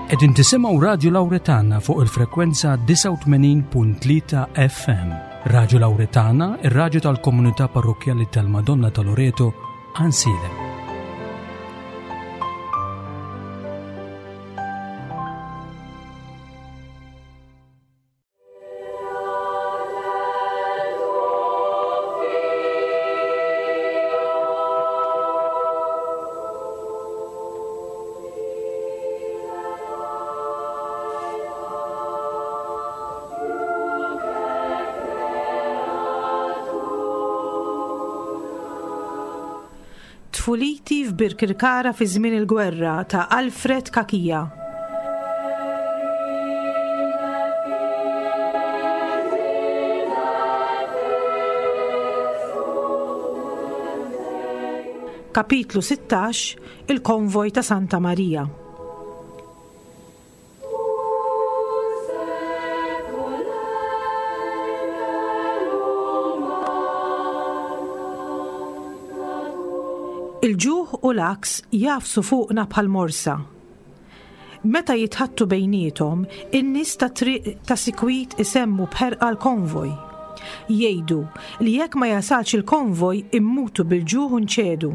Qegħdin tisimgħu Radju Lawretana fuq il-frekwenza 89.3 FM. Radju Lawretana, ir-radju tal-komunità parrokkjali tal-Madonna ta' Loreto, Ansilem. Tfuliti f'Birkirkara fi żmien il-gwerra ta' Alfred Cachia. Kapitlu 16 Il-Konvoj ta' Santa Marija. Il-ġuħ u l-għaks jagħfsu fuqna bħal morsa. Meta jitħaddtu bejniethom, in-nies tat-triq ta' sikwit isemmu b'ħerqa l-konvoj. Jgħidu li jekk ma jasalx il-konvoj immutu bil-ġuħ u nċedu.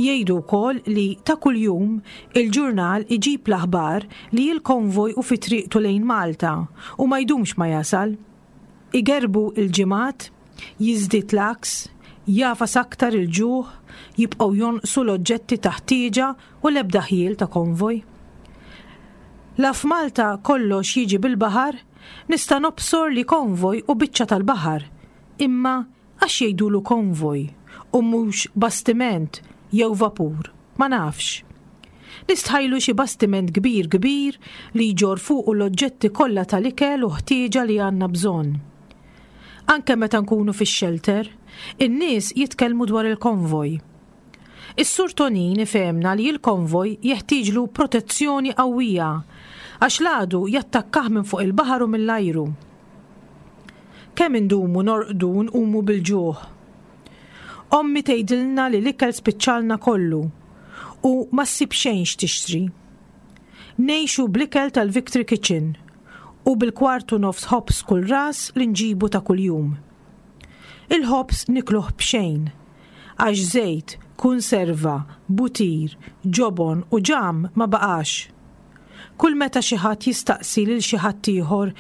Jgħidu wkoll li ta' kuljum il-ġurnal iġib l-aħbar li l-konvoj hu fi triqtu lejn Malta u ma jdumx ma jasal. Igerrbu l-ġimgħat, jiżdied l-għaks, jagħfas aktar il-ġuħ, jibqgħu jonqsu l-oġġetti ta' ħtieġa u l-ebda ħjiel ta' konvoj. La f'Malta kollox jiġi bil-baħar, nista' nobsor li konvoj hu biċċa tal-baħar, imma għax jgħidulu konvoj u mhux bastiment jew vapur, ma nafx. Nistħajlu xi bastiment kbir kbir li jġorr fuqu l-oġġetti kollha tal-ikel u ħtieġa li għandna bżonn. Anke meta nkunu fix-xelter, in-nies jitkellmu dwar il-konvoj. Is-Sur Tonin ifehmna li l-konvoj jeħtieġlu protezzjoni qawwija għax l-għadu jattakkah minn fuq il-baħar u mill-ajru. Kemm indumu norqdu u nqumu bil-ġuħ. Ommi tgħidilna li l-ikel spiċċalna kollu u ma ssib xejn x'tixtri. Ngħixu bl-ikel tal-Victory Kitchen u bil-kwart u nofs ħobż kull ras li nġibu ta' kuljum. Il-ħobż nikluh b'xejn, għax żejt, kunserva, butir, ġobon u ġamm ma baqax. Kull meta xi ħadd jistaqsi lil xi ħadd ieħor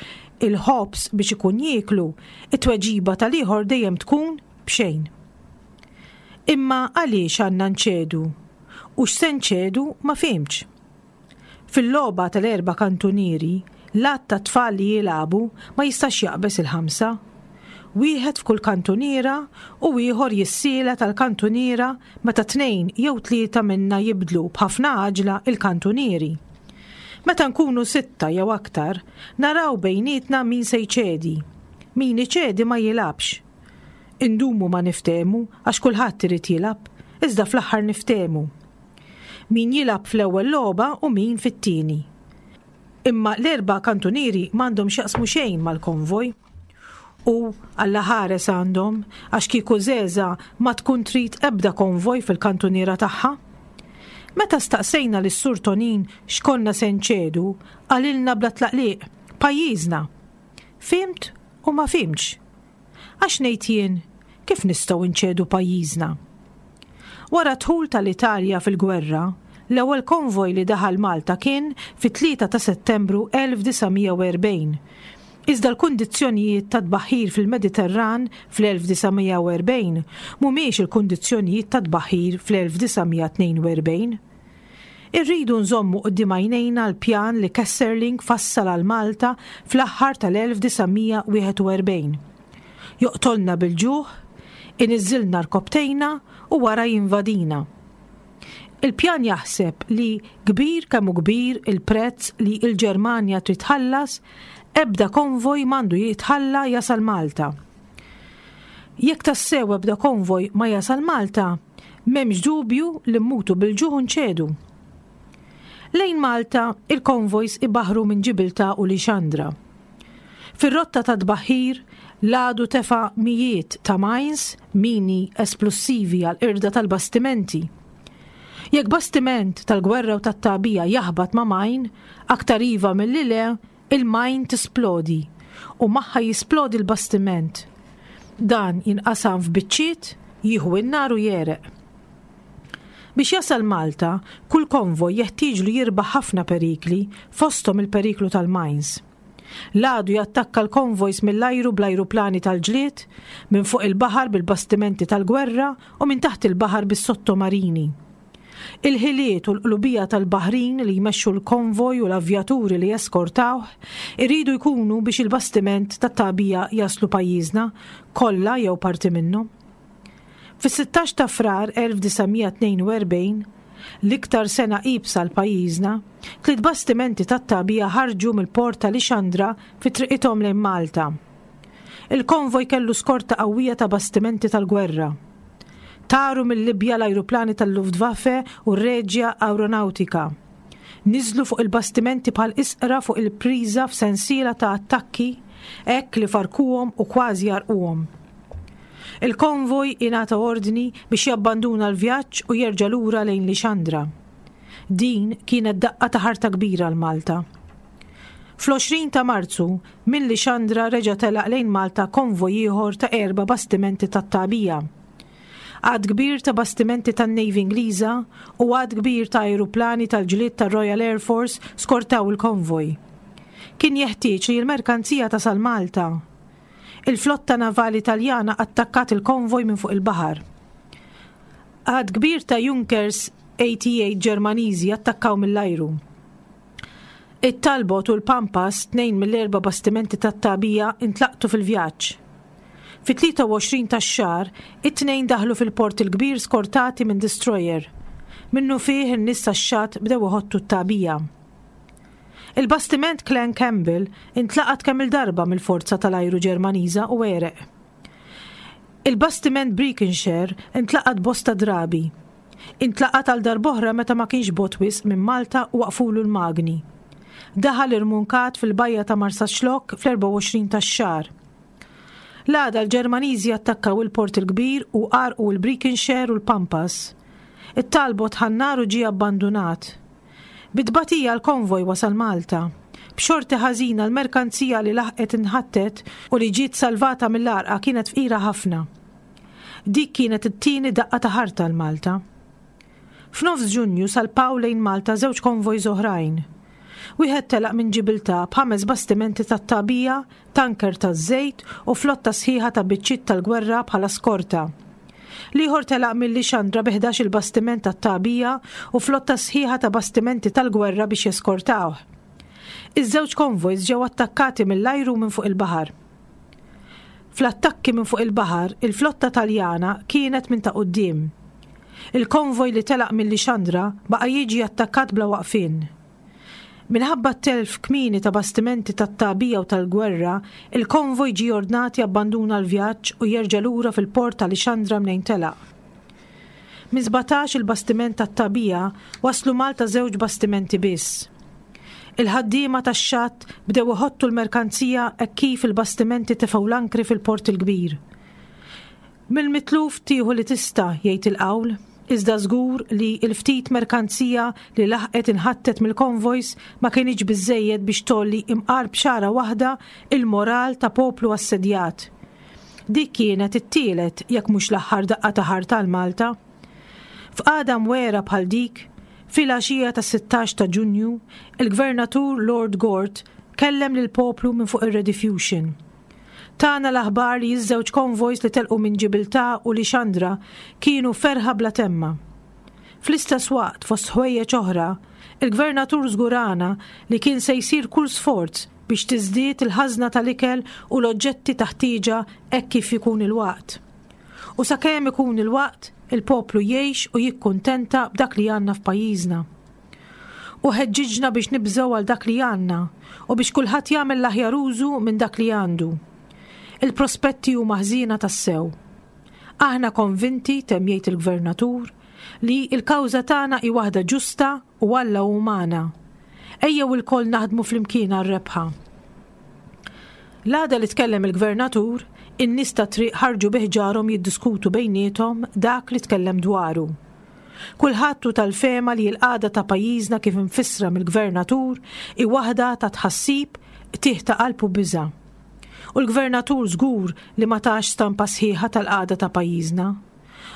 il-ħobż biex ikun jieklu, it-tweġiba tal-ieħor dejjem tkun b'xejn. Imma għaliex għandna nċedu? U x'se nċedu ma fhimtx. Fil-logħba tal-erba' kantunieri, l-għadd ta' tfal li jilagħbu ma jistax jaqbeż il-ħamsa. Wieħed f'kull kantuniera u ieħor jissielet għall-kantuniera meta tnejn jew tlieta minna jibdlu b'ħafna għaġla l-kantunieri. Meta nkunu sitta jew aktar, naraw bejnietna min se jċedi. Min iċedi ma jilgħabx. Indumu ma niftehmu għax kulħadd irid jilgħab, iżda fl-aħħar niftehmu. Min jilgħab fl-ewwel logħba u min fit-tieni. Imma l-erba' kantunieri m'għandhom x'jaqsmu xejn mal-konvoj. U Alla ħares għandhom għax kieku Żeża ma tkun trid ebda konvoj fil-kantuniera tagħha. Meta staqsejna lis-Sur Tonin x'konna se nċedu, qalilna bla tlaqliq, pajjiżna. Fhimt u ma fhimtx. Għax ngħid jien, kif nistgħu nċedu pajjiżna? Wara d-dħul tal-Italja fil-gwerra, l-ewwel konvoj li daħal Malta kien fit-3 ta' Settembru 1940. Iżda l-kundizzjonijiet tat-tbaħħir fil-Mediterran fl-1940 mhumiex il-kundizzjonijiet tat-tbaħħir fl-1942. Irridu nżommu quddiem għajnejna l-pjan li Kesserling fassal għal Malta fl-aħħar tal-1941. Joqtolna bil-ġuħ, iniżżilna rkopptejna u wara jinvadina. Il-pjan jaħseb li kbir kemm hu kbir il-prezz li l-Ġermanja trid tħallas, ebda konvoj m'għandu jitħalla jasal Malta. Jekk tassew ebda konvoj ma jasal Malta, m'hemmx dubju li mmutu bil-ġuħ u nċedu. Lejn Malta, il-konvojs ibaħħru minn Ġibiltà u Lixandra. Fir-rotta tat-tbaħħir, l-għadu tefa' mijiet ta' mines, mini esplussivi għall-qirda tal-bastimenti. Jekk bastiment tal-gwerra u tat-tagħbija jaħbat ma' mine, aktar iva milli le, il-mine tisplodi u magħha jisplodi l-bastiment. Dan jinqasam f'biċċiet, jieħu n-nar u jegħreq. Biex jasal Malta, kull konvoj jeħtieġlu jirbaħ ħafna perikli, fosthom il-periklu tal-mines. L-għadu jattakka l-konvojs mill-ajru bl-ajruplani tal-ġlied, minn fuq il-baħar bil-bastimenti tal-gwerra u minn taħt il-baħar bis-sottomarini. Il-ħiliet u l-qlubija tal-baħrin li jmexxu l-konvoj u l-avjaturi li jeskortawh iridu jkunu biex il-bastiment tat-tagħbija jaslu pajjiżna kollha jew parti minnhom. Fis-16 ta' Frar 1942, l-iktar sena iebsa għal pajjiżna, tliet bastimenti tat-tagħbija ħarġu mill-port ta' Lixandra fi triqithom lejn Malta. Il-konvoj kellu skorta qawwija ta' bastimenti tal-gwerra. Taru mil-Libja l-ajruplani tal-Luftwaffe u r-Regia Aeronautica. Niżlu fuq il-bastimenti bħal isqra fuq il-priża f'sensiela ta' attakki hekk li farkuhom u kważi għarquhom. Il-konvoj ingħata ordni biex jabbanduna l-vjaġġ u jerġa' lura lejn Lixandra. Din kienet daqqa ta' ħarta kbira għal Malta. Fl-20 ta' Marzu, minn Lixandra reġa' telaq lejn Malta konvoj ieħor ta' erba' bastimenti tat-tagħbija. Għadd kbir ta' bastimenti tan-Navy Ingliża u għadd kbir ta' ajruplani tal-ġlied tar-Royal Air Force skortaw il-konvoj. Kien jeħtieġ li l-merkanzija tasal Malta. Il-flotta navali Taljana attakkat il-konvoj minn fuq il-baħar. Għadd kbir ta' Junkers 88 Ġermaniżi attakkaw mill-ajru. It-Talbot u l-Pampas, tnejn mill-erba' bastimenti tat-tagħbija, intlaqtu fil-vjaġġ. Fit-23 tax-xahar, it-tnejn daħlu fil-Port il-Kbir skortati minn destroyer. Minnufih in-nies tax-xatt bdew iħottu t-tagħbija. Il-bastiment Clan Campbell intlaqat kemm-il darba mill-forza tal-ajru Ġermaniża u għereq. Il-bastiment Breconshire intlaqat bosta drabi. Intlaqat għal darb'oħra meta ma kienx bogħod wisq minn Malta u waqfulu l-magni. Daħal irmunkat fil-bajja ta' Marsaxlokk fl-24 tax-xahar. L-għada l-Ġermaniżi attakkaw il-Port il-Kbir u għarrqu l-Breconshire u l-Pampas. It-Talbot ħa n-nar u ġie abbandunat. Bi tbatija l-konvoj wasal Malta. B'xorti ħażina l-merkanzija li laħqet inħattet u li ġiet salvata mill-għarqa kienet fqira ħafna. Dik kienet it-tieni daqqa ta' ħarta għal Malta. F'nofs Ġunju salpaw lejn Malta żewġ konvojs oħrajn. Wieħed telaq minn Ġibiltà b'ħames bastimenti tat-tagħbija, tanker taż-żejt u flotta sħiħa ta' biċċiet tal-gwerra bħala skorta. L-ieħor telaq minn Lixandra bi 11-il bastiment tat-tagħbija u flotta sħiħa ta' bastimenti tal-gwerra biex jeskortawh. Iż-żewġ konvojs ġew attakkati mill-ajru u minn fuq il-baħar. Fl-attakki minn fuq il-baħar, il-flotta Taljana kienet minn ta' quddiem. Il-konvoj li telaq minn Lixandra baqa' jiġi attakkat bla waqfien. Minħabba t-telf kmieni ta' bastimenti tat-tagħbija u tal-gwerra, il-konvoj ġie ordnat jabbanduna l-vjaġġ u jerġa' lura fil-port ta' Lixandra mnejn telaq. Minn 17 il-bastiment tat-tagħbija waslu Malta żewġ bastimenti biss. Il-ħaddiema tax-xatt bdew iħottu l-merkanzija hekk kif il-bastimenti tefgħu l-ankri fil-Port il-Kbir. Mill-mitluf tieħu li tista', jgħid il-qawl, iżda żgur li l-ftit merkanzija li laħqet inħattet mill-konvojs ma kinitx biżżejjed biex tgħolli imqar b'xagħra waħda il-moral ta' poplu assedjat. Dik kienet it-tielet, jekk mhux l-aħħar daqqa ta' ħarta għal Malta. F'qagħda mwegħra bħal dik, filgħaxija tas-16 ta' Ġunju, il-Gvernatur Lord Gort kellem lill-poplu minn fuq ir-Rediffusion. Tana l-aħbar li ż-żewġ konvojs li telqu minn Ġibiltà u Lixandra kienu ferħa bla temma. Fl-istess waqt, fost ħwejjeġ oħra, il-Gvernatur żgurana li kien se jsir kull sforz biex tiżdied il-ħażna tal-ikel u l-oġġetti ta' ħtieġa hekk kif ikun il-waqt. U sakemm ikun il-waqt, il-poplu jgħix u jikkuntenta b'dak li għandna f'pajjiżna. Hu ħeġġiġna biex nibżgħu għal dak li għandna u biex kulħadd jagħmel l-aħjar użu minn dak li għandu. Il-prospetti huma ħżiena tassew. Aħna konvinti, temm jgħid il-Gvernatur, li l-kawża tagħna hi waħda ġusta u Alla hu magħna. Ejjew ilkoll naħdmu flimkien għar-rebħa. L-għada li tkellem il-Gvernatur, in-nies tat-triq ħarġu bi ħġarhom jiddiskutu bejniethom dak li tkellem dwaru. Kulħadd hu tal-fehma li l-qagħda ta' pajjiżna kif imfissra mill-Gvernatur hi waħda ta' tħassib, qtigħ ta' qalb u biża'. U l-Gvernatur żgur li ma tax stampa sħiħa tal-qagħda ta' pajjiżna.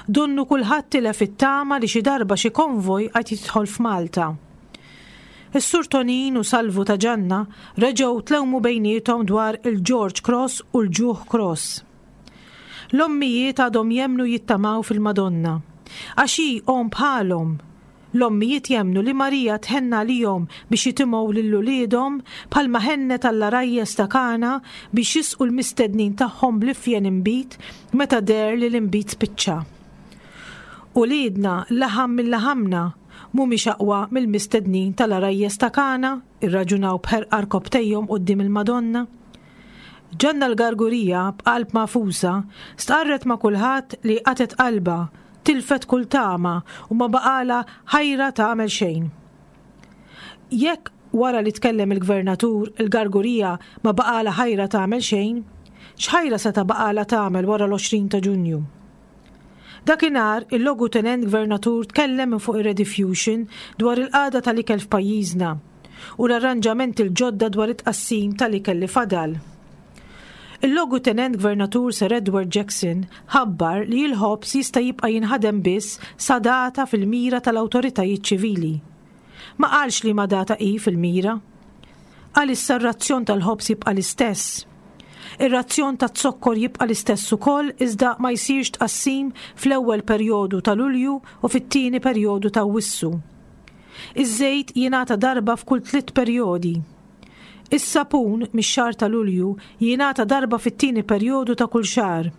Donnu kulħadd tilef it-tama li xi darba xi konvoj għad jidħol f'Malta. Is-Sur Tonin u Salvu ta' Ġanna reġgħu tlewmu bejniethom dwar il-George Cross u l-Ġuħ Cross. L-ommijiet għadhom jemmnu jittamaw fil-Madonna. Għax hi omm bħalhom. L-ommijiet jemmnu li Marija tħenn għalihom biex jitimgħu lil uliedhom bħalma ħennet għall-għarajjes ta' Kana biex jisqu l-mistednin tagħhom bl-ifjen inbid meta deher li l-inbid spiċċa. Uliedna, laħam minn laħamna, mhumiex aqwa mill-mistednin tal-għarajjes ta' Kana? irraġunaw b'ħerqa rkopptejhom quddiem il-Madonna. Ġanna l-Gargurija, b'qalb magħfusa, stqarret ma' kulħadd li qatgħet qalbha, tilfet kull tama u ma baqgħalha ħajra tagħmel xejn. Jekk wara li tkellem il-Gvernatur, il-Gargurija ma baqgħalha ħajra tagħmel xejn, x'ħajra seta' baqgħalha tagħmel wara l-20 ta' Ġunju? Dakinhar, il-Logutenent Gvernatur tkellem minn fuq ir-Rediffusion dwar il-qagħda tal-ikel f'pajjiżna u l-arranġamenti l-ġodda dwar it-tqassim tal-ikel li fadal. Il-Logutenent Gvernatur Sir Edward Jackson ħabbar li l-ħobż jista' jibqa' jinħadem biss sa data fil-mira tal-awtoritajiet ċivili. Ma qalx liema data hi fil-mira. Għalissa r-razzjon tal-ħobż jibqa' l-istess. Ir-razzjon taz-zokkor jibqa' l-istess ukoll iżda ma jsirx tqassim fl-ewwel perjodu ta' Lulju u fit-tieni perjodu ta' Awwissu. Iż-żejt jingħata darba f'kull tliet perjodi. Is-sapun, mix-xahar ta' Lulju, jingħata darba fit-tieni perjodu ta' kull xahar.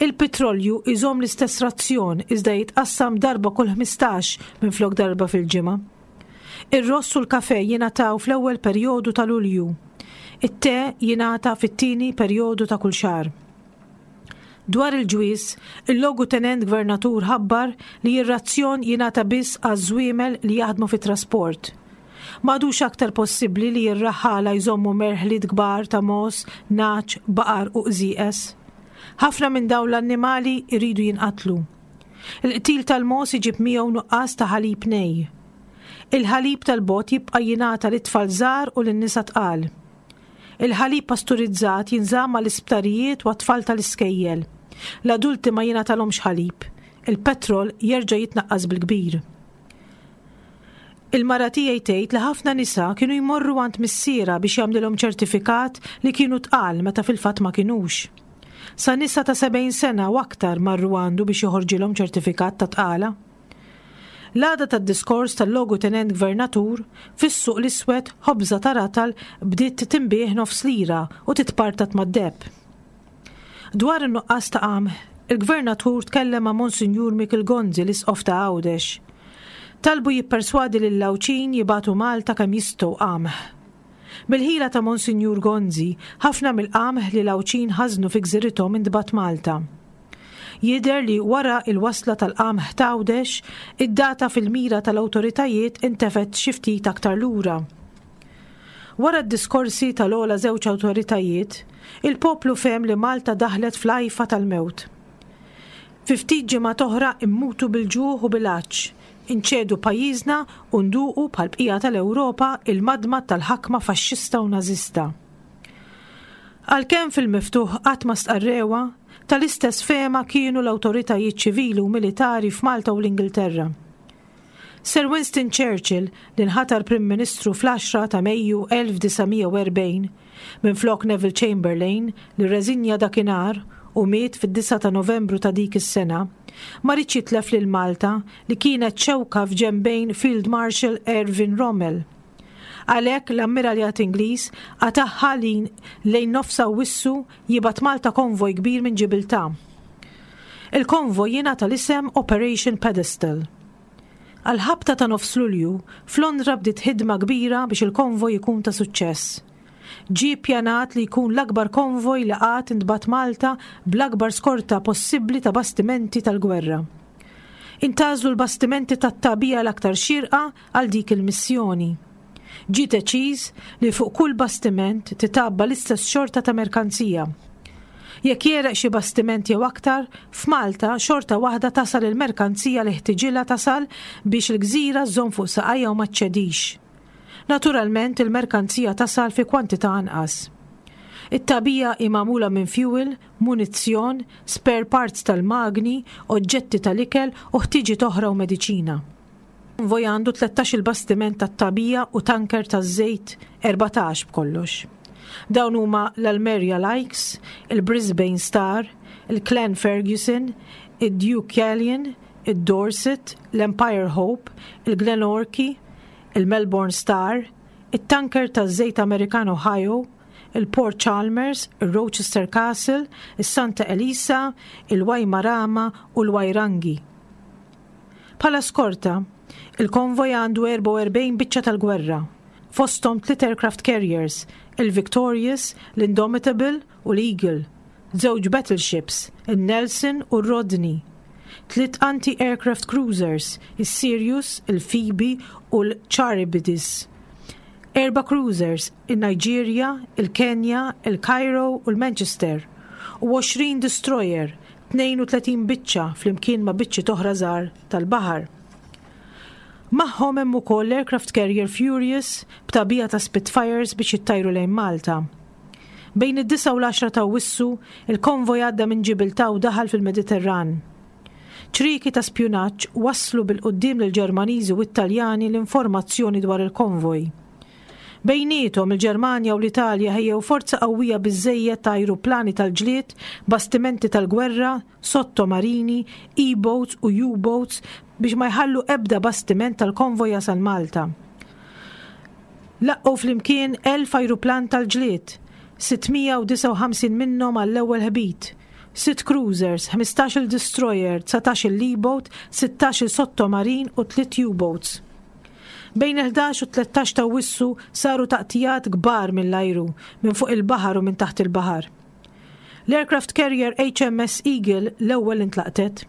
Il-pitrolju jżomm l-istess razzjon iżda jitqassam darba kull 15 minflok darba fil-ġimgħa. Ir-ross u l-kafè jingħataw fl-ewwel perjodu ta' Lulju. It-te jingħata fit-tieni perjodu ta' kull xahar. Dwar il-ġwież, il-Logutenent Gvernatur ħabbar li r-razzjon jingħata biss għaż-żwiemel li jaħdmu fit-trasport. M'għadux aktar possibbli li r-raħħala jżommu merħliet kbar ta' mogħoż, nagħaġ, baqar u qżieqeż. Ħafna minn dawn l-annimali jridu jinqatlu. Il-qtil tal-mogħoż iġib miegħu nuqqas ta' ħalib nej. Il-ħalib tal-bogħod jibqa' jingħata lit-tfal żgħar u lin-nisa tqal. Il-ħalib pasturizzat jinżamm għall-isptarijiet u għat-tfal tal-iskejjel. L-adulti ma jingħatalhomx ħalib. Il-petrol jerġa' jitnaqqas bil-kbir. Il-mara tiegħi tgħid li ħafna nisa kienu jmorru għand missierha biex jagħmlilhom ċertifikat li kienu tqal meta fil-fatt ma kinux. Sa nisa ta' 70 sena u aktar marru għandu biex joħorġilhom ċertifikat ta' tqala. L-għada tad-diskors tal-Logutenent Gvernatur, fis-suq l-iswed ħobża ta' ratal bdiet tinbiegħ nofs lira u titpartat mad-deheb. Dwar in-nuqqas ta' qamħ, il-Gvernatur tkellem ma' Monsinjur Mikiel Gonzi l-Isqof ta' Għawdex. Talbu jipperswadi lill-Għawdxin jibagħtu Malta kemm jistgħu qamħ. Bil-ħila ta' Monsinjur Gonzi, ħafna mill-qamħ li l-Għawdxin ħażnu fi gżirithom intbagħat Malta. Jidher li wara l-wasla tal-qamħ t'Għawdex, id-data fil-mira tal-awtoritajiet intefgħet xi ftit aktar lura. Wara d-diskorsi tal-ogħla żewġ awtoritajiet, il-poplu fehem li Malta daħlet fl-għajfa tal-mewt. Fi ftit ġimgħat oħra mmutu bil-ġuħ u bil-għatx, inċedu pajjiżna u nduqu bħall-bqija tal-Ewropa il-madmad tal-ħakma faxxista u Nażista. Għalkemm fil-miftuħ qatt ma stqarrewha, tal-istess fehma kienu l-awtoritajiet ċivili u militari f'Malta u l-Ingilterra. Sir Winston Churchill, li nħatar Prim Ministru fl-10 ta' Mejju 1940, minflok Neville Chamberlain, li rreżinja dakinhar u miet fid-9 ta' Novembru ta' dik is-sena, ma riedx jitlef lil Malta li kienet xewka f'ġenbejn Field Marshal Erwin Rommel. Għalhekk l-Ammiraljat Ingliż qatagħha li lejn nofs Awwissu jibgħat Malta konvoj kbir minn Ġibiltà. Il-konvoj jingħata l-isem Operation Pedestal. Għall-ħabta ta' nofs Lulju, f'Londra bdiet ħidma kbira biex il-konvoj ikun ta' suċċess. Ġie ppjanat li jkun l-akbar konvoj li qatt intbagħat Malta bl-akbar skorta possibbli ta' bastimenti tal-gwerra. Intgħażlu l-bastimenti tat-tagħbija l-aktar xierqa għal dik il-missjoni. Ġie deċiż li fuq kull bastiment titgħabba l-istess xorta ta' merkanzija. Jekk jegħreq xi bastiment jew aktar, f'Malta xorta waħda tasal il-merkanzija li ħtiġilha tasal biex il-gżira żżomm fuq saqajha u ma ċċedix. Naturalment il-merkanzija tasal fi kwantità anqas. It-tagħbija hi magħmula minn fjuwil, munizzjon, spare parts tal-magni, oġġetti tal-ikel u ħtiġiet oħra u mediċina. Konvoj għandu 13-il bastiment tat-tagħbija u tanker taż-żejt 14 b'kollox. Dawn huma l-Almeria Lykes, il-Brisbane Star, il-Clan Ferguson, id-Deucalion, id-Dorset, l-Empire Hope, il-Glenorchy, il-Melbourne Star, it-tanker taż-żejt Amerikan Ohio, il-Port Chalmers, ir-Rochester Castle, is-Santa Elisa, il-Waimarama u l-Wairangi. Bħala skorta, il-konvoj għandu 44 biċċa tal-gwerra, fosthom tliet aircraft carriers, il-Victorious, l-Indomitable u l-Eagle, żewġ battleships, in-Nelson u r-Rodney, tliet anti-aircraft cruisers, is-Sirius, il-Phoebe u l-Charybdis, erba' cruisers, in-Nigeria, il-Kenya, il-Cairo u l-Manchester, u 20 destroyer, 32 biċċa flimkien ma' biċċiet oħra żgħar tal-baħar. Magħhom hemm ukoll l-aircraft carrier Furious b'tagħbija ta' Spitfires biex jittajru lejn Malta. Bejn id-disgħa u l-għaxra ta' Awwissu, il-konvoj għadda minn Ġibiltà u daħal fil-Mediterran. Ċrieki ta' spjunaġġ wasslu bil-quddiem lill-Ġermaniżi u t-Taljani l-informazzjoni dwar il-konvoj. Bejniethom, il-Ġermanja u l-Italja ħejjew forza qawwija biżżejjed ta' ajruplani tal-ġlied, bastimenti tal-gwerra, sottomarini, E-boats u U-boats biex ma jħallu ebda bastiment tal-konvoj jasal Malta. Laqqgħu flimkien 1,000 ajruplan tal-ġlied, 659 minnhom għall-ewwel ħbit, sitt cruisers, ħmistax-il destroyer, dsatax-il E-boat, sittax-il sottomarin u tliet U-boats. Bejn il-11 u t-13 ta' Awwissu saru taqtijat kbar mill-ajru, minn fuq il-baħar u minn taħt il-baħar. L-aircraft carrier HMS Eagle l-ewwel intlaqtet.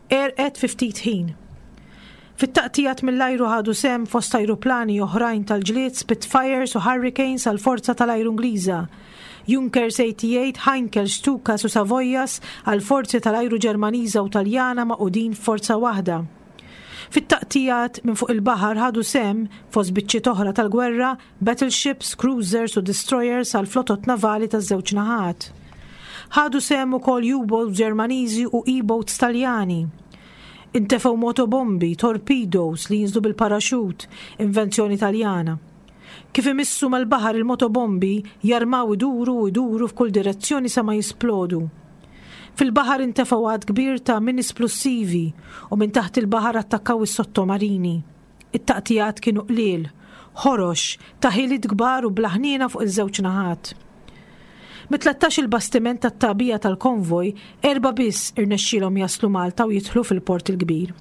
Għerqet fi ftit ħin. Fit-taqtijat mill-ajru ħadu sehem fost ajruplani oħrajn tal-ġlied Spitfires u Hurricanes għall-Forza tal-Ajru Ingliża, Junkers 88, Heinkel, Stukas u Savoyas għall-Forzi tal-Ajru Ġermaniża u Taljana magħqudin f'forza waħda. Fit-taqtijat minn fuq il-baħar ħadu sehem, fost biċċiet oħra tal-gwerra, battleships, cruisers u destroyers għall-flotot navali taż-żewġ naħat. Ħadu sehem ukoll U-boats Ġermaniżi u E-boats Taljani. Intefgħu motobombi, torpedoes li jinżlu bil-paraxut, invenzjoni Taljana. Kif imissu mal-baħar il-motobombi jarmaw iduru u iduru f'kull direzzjoni sa ma jisplodu. Fil-baħar intefgħu għadd kbir ta' mini splussivi u minn taħt il-baħar attakkaw is-sottomarini. It-taqtigħat kienu qliel, ħorox, ta' ħiliet kbar u bla ħniena fuq iż-żewġ naħat. Mit-tlettax-il bastiment tat-tagħbija tal-konvoj, erbgħa biss irnexxielhom jaslu Malta u jidħlu fil-Port il-Kbir.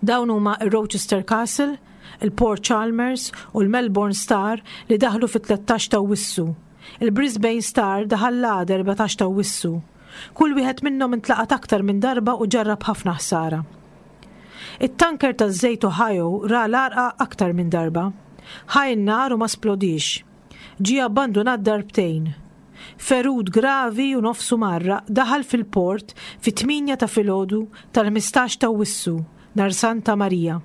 Dawn huma r-Rochester Castle, il-Port Chalmers u l-Melbourne Star li daħlu fit-13 ta' Awwissu. Il-Brisbane Star daħal l-għada 14 ta' Awwissu. Kull wieħed minnhom intlaqat aktar minn darba u ġarrab ħafna ħsara. It-tanker taż-żejt Ohio ra l-għarqa aktar minn darba. Ħa n-nar u ma splodiex. Ġie abbandunat darbtejn. Ferut gravi u nofsu mgħarraq daħal fil-port fit-tmienja ta' filgħodu tal-ħmistax t'Awwissu, nhar Santa Marija.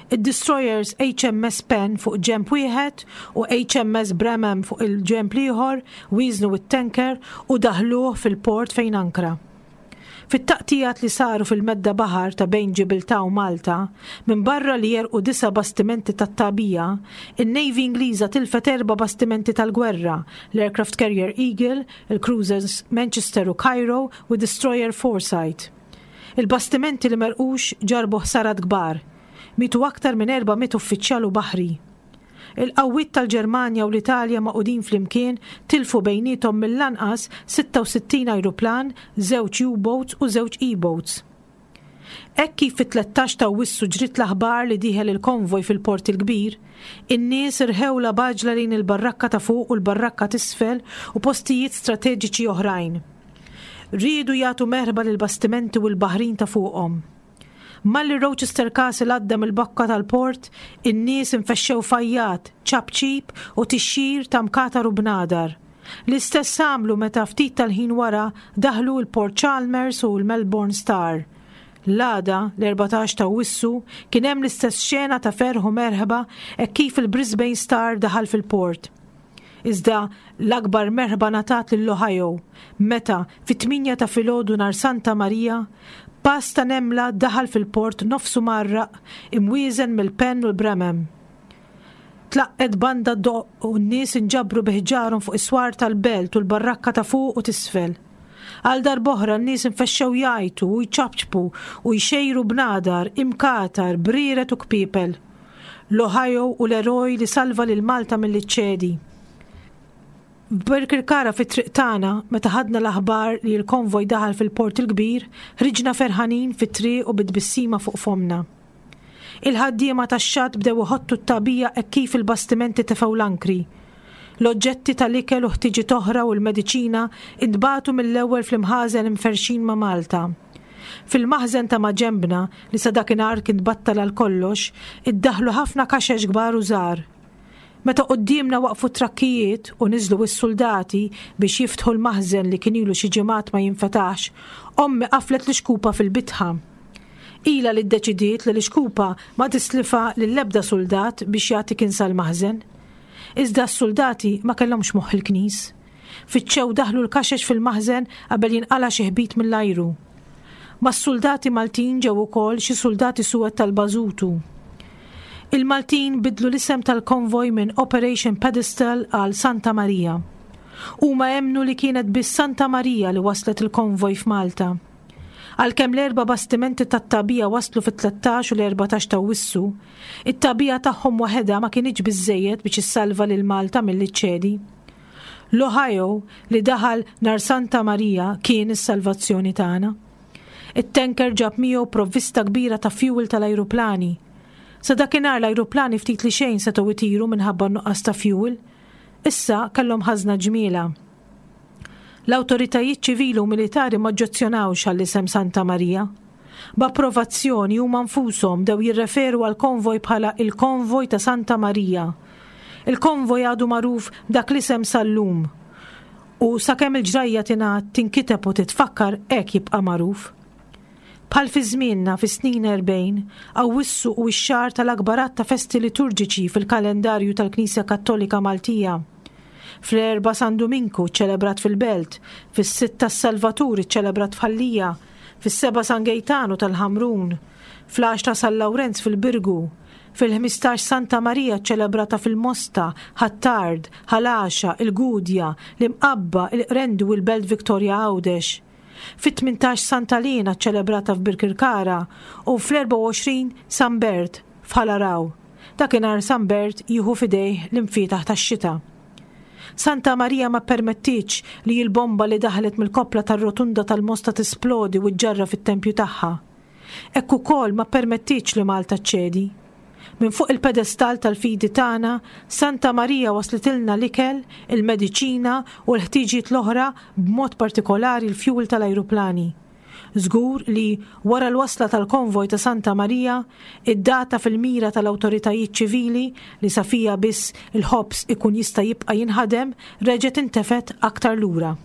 Id-destroyers HMS Penn fuq ġenb wieħed u HMS Bramham fuq il-ġenb l-ieħor wieżnu t-tanker u daħluh fil-port fejn ankra. Fit-taqtigħat li saru fil-medda baħar ta' bejn Ġibiltà u Malta, minbarra li għerqu disa' bastimenti tat-tagħbija, in-Navy Ingliża tilfet erba' bastimenti tal-gwerra, l-aircraft carrier Eagle, il-cruisers Manchester u Cairo u d-destroyer Foresight. Il-bastimenti li m'għerqux ġarrbu ħsarat kbar. Mietu aktar minn 400 uffiċjal u baħri. Il-qawwiet tal-Ġermanja u l-Italja magħqudin flimkien tilfu bejniethom mill-anqas 66 ajruplan, żewġ U-boats u żewġ E-boats. Hekk kif fit-13 ta' Awwissu ġriet l-aħbar li dieħel il-konvoj fil-Port il-Kbir, in-nies irħewlha b'għaġla lejn il-barrakka ta' fuq u l-barrakka t'isfel u postijiet strateġiċi oħrajn. Riedu jagħtu merħba lill-bastimenti u l-baħrin ta' fuqhom. Malli Rochester Castle għadda mill-bokka tal-port, in-nies infexxew f'għajjat, ċapċip u tixxir ta' mkatar u bnadar. L-istess għamlu meta ftit tal-ħin wara daħlu l-Port Chalmers u l-Melbourne Star. L-għada, l-14 ta' Awwissu, kien hemm l-istess xena ta' ferħ u merħba hekk kif il-Brisbane Star daħal fil-port. Iżda l-akbar merħba ngħatat lil Ohio meta, fit-tmienja ta' filgħodu nhar Santa Marija, pass ta' nemla daħal fil-port nofsu mgħarraq, imwieżen mill-penn u l-bremem. Tlaqqgħet banda ddoqq u n-nies inġabru bi ħġarhom fuq is-swar tal-belt u l-barrakka ta' fuq u t'isfel. Għal darb'oħra n-nies infexxew jgħajtu u jċapċpu u jxejru bnadar, imkatar, brieret u kpiepel. L-Ohio hu l-eroj li salva lil Malta milli ċċedi. F'Birkirkara fit-triq tagħna, meta ħadna l-aħbar li l-konvoj daħal fil-Port il-Kbir, ħriġna ferħanin fit-triq u bi tbissima fuq fommna. Il-ħaddiema tax-xatt bdew iħottu t-tagħbija hekk kif il-bastimenti tefgħu l-ankri. L-oġġetti tal-ikel u ħtiġiet oħra u l-mediċina intbagħtu mill-ewwel fl-imħażen imferrxin ma' Malta. Fil-maħżen ta' maġenbna, li sa dakinhar kien tbattal għal kollox, iddaħħlu ħafna kaxex kbar u żgħar. Meta quddiemna waqfu t-trakkijiet u niżlu s-suldati biex jiftħu l-maħżen li kien ilu xi ġimgħat ma jinfetaħx, ommi qaflet l-ixkupa fil-bitħa. Ilha li ddeċidiet li l-ixkupa ma tislifha lill-ebda suldat biex jagħti kinsa l-maħżen. Iżda s-suldati ma kellhomx moħħ il-knis. Fittxew daħlu l-kaxex fil-maħżen qabel jinqala' xi ħbit mill-ajru. Mas-suldati Maltin ġew ukoll xi suldati suwed tal-Bażutu. Il-Maltin biddlu l-isem tal-konvoj minn Operation Pedestal għal Santa Marija. Huma emmnu li kienet biss Santa Marija li wasslet il-konvoj f'Malta. Għalkemm l-erba' bastimenti tat-tagħbija waslu fit-13 u l-14 t'Awwissu, it-tagħbija tagħhom waħedha ma kinitx biżżejjed biex issalva lil Malta milli ċċedi. L-Ohio li daħal nhar Santa Marija kien is-salvazzjoni tagħna. It-tanker ġab miegħu provvista kbira ta' fjuwil tal-ajruplani. Sa dakinhar l-ajruplani ftit li xejn setgħu jtiru minħabba n-nuqqas ta' fjuwil. Issa kellhom ħażna ġmielha. L-awtoritajiet ċivili u militari m'oġġezzjonawx għall-isem Santa Marija. B'approvazzjoni huma nfushom bdew jirreferu għall-konvoj bħala il-Konvoj ta' Santa Marija. Il-konvoj għadu magħruf b'dak l-isem sal-lum. U sakemm il-ġrajja tingħad, tinkiteb u titfakkar hekk jibqa' magħruf. Bħal fi żmienna fis-snin 40, Awwissu hu x-xahar tal-akbar għadd ta' festi liturġiċi fil-kalendarju tal-Knisja Kattolika Maltija. Fl-Erbgħa San Duminku ċċelebrat fil-Belt, fis-Sitta s-Salvatur iċċelebrat f'Ħal Lija, fis-Sebgħa San Gejtanu tal-Ħamrun, fl-Għaxra San Lawrenz fil-Birgu, fil-15 Santa Marija ċċelebrata fil-Mosta, Ħ'Attard, Ħal Għaxaq, il-Gudja, l-Imqabba, il-Qrendi u l-Belt Victoria Għawdex. Fit-18 Santa Liena ċċelebrata f'Birkirkara u fl-24 San Bert f'Ħal Għaraw. Dakinhar San Bert jieħu f'idejh l-imfietaħ tax-xita. Santa Marija ma ppermettietx li l-bomba li daħlet mill-koppla tar-rotunda tal-Mosta tisplodi u ġġarraf it-tempju tagħha. Hekk ukoll ma ppermettietx li Malta ċċedi. Minn fuq il-pedestall tal-fidi tagħna, Santa Marija waslitilna l-ikel, il-mediċina u l-ħtiġijiet l-oħra b'mod partikolari l-fjuwil tal-ajruplani. Żgur li, wara l-wasla tal-konvoj ta' Santa Marija, id-data fil-mira tal-awtoritajiet ċivili li sa fiha biss il-ħobż ikun jista' jibqa' jinħadem reġgħet intefgħet aktar lura.